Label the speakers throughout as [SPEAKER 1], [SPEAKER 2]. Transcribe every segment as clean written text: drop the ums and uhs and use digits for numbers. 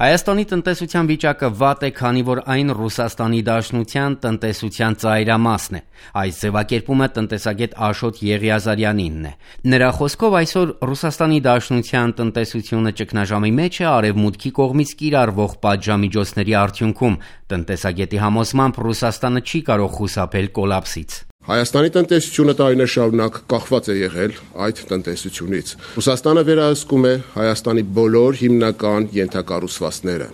[SPEAKER 1] Հայաստանի տնտեսության վիճակը վատ է, քանի որ այն Ռուսաստանի Դաշնության տնտեսության ծայրամասն է։ Այս ձևակերպումը տնտեսագետ Աշոտ Եղիազարյանինն է։ Նրա խոսքով այսօր Ռուսաստանի Դաշնության տնտեսությունը ճգնաժամի մեջ է արևմուտքի կողմից կիրառվող պատժամիջոցների արդյունքում։ Տնտեսագետի համոզմամբ Ռուսաստանը չի կարող խուսափել կոլապսից։
[SPEAKER 2] Հայաստանի տնտեսությունը տարիներ շարունակ կախված է եղել այդ տնտեսությունից։ Ռուսաստանը վերահսկում է Հայաստանի բոլոր հիմնական ենթակառուցվածքները։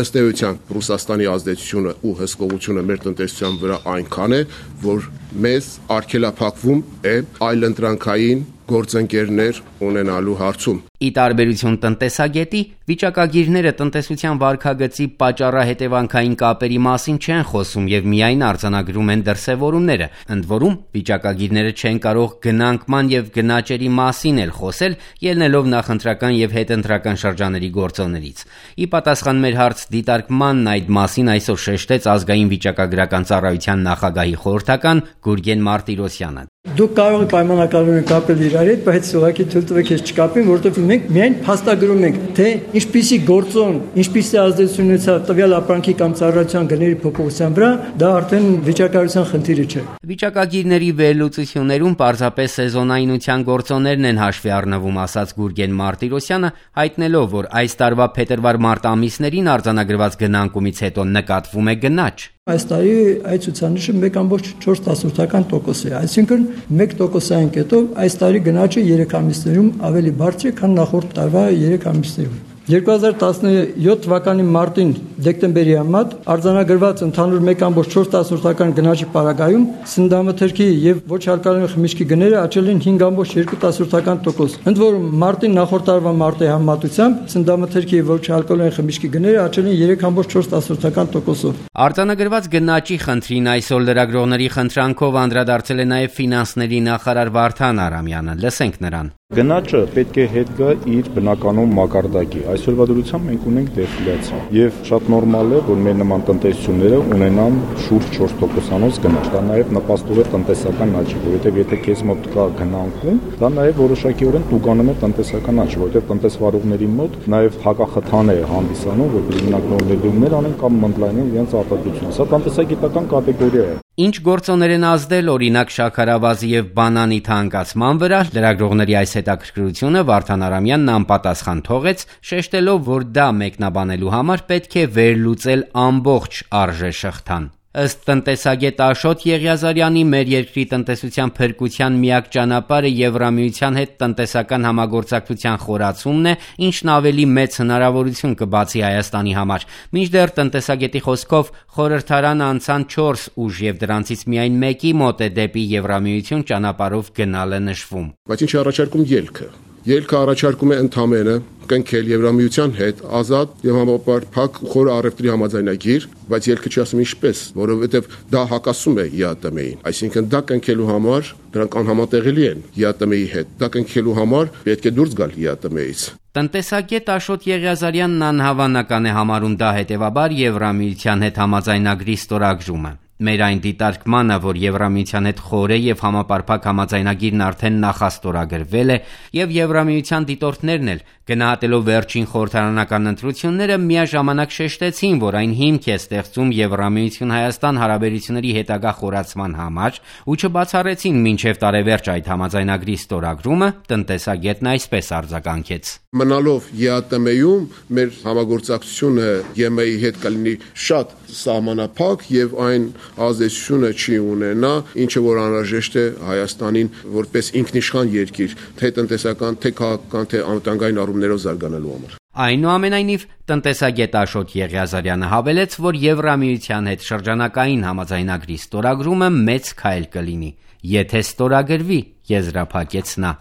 [SPEAKER 2] Ըստ էության Ռուսաստանի ազդեցությունը ու հսկողությունը մեր տնտեսության վրա այնքան է, որ մեզ արգելափակվում է այլընտրանքային գործընկերներ ունենալու հարցում։
[SPEAKER 1] Ի տարբերություն տնտեսագետի, վիճակագիրները տնտեսության վարքագծի պատճառահետևանքային կապերի մասին չեն խոսում եւ միայն արձանագրում են դրսեւորումները։ Ընդ որում, վիճակագիրները չեն կարող գնանկման եւ գնաճերի մասին էլ խոսել, ելնելով նախընտրական եւ հետընտրական շրջանների գործոններից։ Ի պատասխան մեր հարց դիտարկմանն այդ մասին այսօր շեշտեց ազգային վիճակագրական ծառայության նախագահի խորհրդական Գուրգեն Մարտիրոսյանը։
[SPEAKER 3] Դուք կարող եք պայմանականորեն կապել իրար հետ, բայց ուղղակի թույլ տվեք ես չկապեմ, որովհետև մենք միայն փաստագրում ենք, թե ինչպիսի գործոն, ինչպիսի ազդեցություն ունեցավ տվյալ ապրանքի կամ ծառայության գների փոփոխության վրա, դա արդեն վիճակագրության խնդիրը չէ։
[SPEAKER 1] Վիճակագիրների վերլուծություններում պարզապես սեզոնայնության գործոններն են հաշվի առնվում, ասաց Գուրգեն Մարտիրոսյանը, հայտնելով, որ այս տարվա փետրվար-մարտ ամիսներին արձանագրված գնանկումից հետո նկատվում է գնաճ։
[SPEAKER 3] Այս տարի այդ ցուցանիշը 1.4% է, այսինքն 1%-ային կետով այս տարի գնաճը 3 ամիսներում ավելի բարձր է, քան նախորդ տարվա 3 ամիսներում։ 2017 թվականի մարտին դեկտեմբերի համեմատ արձանագրված ընդհանուր 1.4% գնաճի պարագայում սննդամթերքի եւ ոչ ալկոհոլային խմիչքի գները աճել են 5.2%։ Ընդ որում մարտին նախորդ տարվա մարտի համեմատությամբ սննդամթերքի եւ ոչ ալկոհոլային խմիչքի գները աճել են 3.4%-ով։
[SPEAKER 1] Արձանագրված գնաճի խնդրին այսօր լրագրողների խնդրանքով անդրադարձել է նաեւ ֆինանսների նախարար Վարդան Արամյանը։ Լսենք նրան։
[SPEAKER 4] Գնաճը պետք է հետ գա իր բնականոն մակարդակի։ Այսօրվա դրությամբ մենք ունենք դեֆլյացիա եւ շատ նորմալ է, որ մեր նման տնտեսությունները ունենան շուրջ 4%-անոց գնաճ։ Դա նաեւ նպաստում է տնտեսական աճի, որովհետեւ եթե քեզ մոտ կա գնանկում, դա նաեւ որոշակիորեն տուգանում է տնտեսական աճը, որովհետեւ տնտեսվարողների մոտ նաեւ հակախթան է հանդիսանում, որ բնակնորներումներ անեն կամ մնդլայնեն իրենց արտադրությունը։ Սա տնտեսագիտական կատեգորիա է։
[SPEAKER 1] Ինչ գործոներ են ազդել օրինակ շաքարավազի եւ բանանի թանկացման վրա, լրագրողների այս հետաքրքրությունը Վարդան Արամյանն անպատասխան թողեց, շեշտելով, որ դա մեկնաբանելու համար պետք է վերլուծել ամբողջ արժեշղթան։ Ըստ տնտեսագետ Աշոտ Եղիազարյանի, մեր երկրի տնտեսության փրկության միակ ճանապարհը Եվրամիության հետ տնտեսական համագործակցության խորացումն է, ինչն ավելի մեծ հնարավորություն կբացի Հայաստանի համար։ Մինչդեռ տնտեսագետի խոսքով խորհրդարանը անցան 4 ուժ եւ դրանցից միայն մեկի մոտ է դեպի Եվրամիություն ճանապարհով գնալը նշվում։
[SPEAKER 2] Բայց ինչ առաջարկում ելքը։ Ելքը առաջարկում է ընդամենը կնքել Եվրամիության հետ ազատ եւ համապարփակ խոր առևտրի համաձայնագիր, բայց ելքը չի ասում ինչպես, որովհետեւ դա հակասում է ԵԱՏՄ-ին։ Այսինքն դա կնքելու համար դրանք անհամատեղելի են ԵԱՏՄ-ի հետ։ Դա կնքելու համար պետք է դուրս գալ ԵԱՏՄ-ից։
[SPEAKER 1] Տնտեսագետ Աշոտ Եղիազարյանն անհավանական է համարում դա հետևաբար Եվրամիության հետ համաձայնագրի ստորագրումը։ Մեր այն դիտարկմանը, որ Եվրամիության հետ խորը եւ համապարփակ համաձայնագիրն արդեն նախաստորագրվել է եւ Եվրամիության դիտորդներն էլ գնահատելով վերջին խորհրդարանական ընտրությունները միաժամանակ շեշտեցին, որ այն հիմք է ստեղծում Եվրամիություն-Հայաստան հարաբերությունների հետագա խորացման համար ու չբացառեցին մինչև տարեվերջ այդ համաձայնագրի ստորագրումը, տնտեսագետն այսպես արձագանքեց.
[SPEAKER 2] Մնալով ԵԱՏՄ-ում մեր համագործակցությունը ԵՄ-ի հետ կլինի շատ սահմանափակ եւ այն ազդեցությունը չի ունենա, ինչը որ անհրաժեշտ է Հայաստանին որպես ինքնիշխան երկիր, թե տնտեսական, թե քաղաքական, թե անվտանգային առումներով զարգանալու համար։
[SPEAKER 1] Այնուամենայնիվ, տնտեսագետ Աշոտ Եղիազարյանը հավելեց, որ Եվրամիության հետ շրջանակային համաձայնագրի ստորագրումը մեծ քայլ կլինի, եթե ստորագրվի, եզրափակեց նա։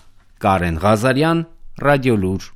[SPEAKER 1] Կարեն Ղազարյան, Ռադիոլուր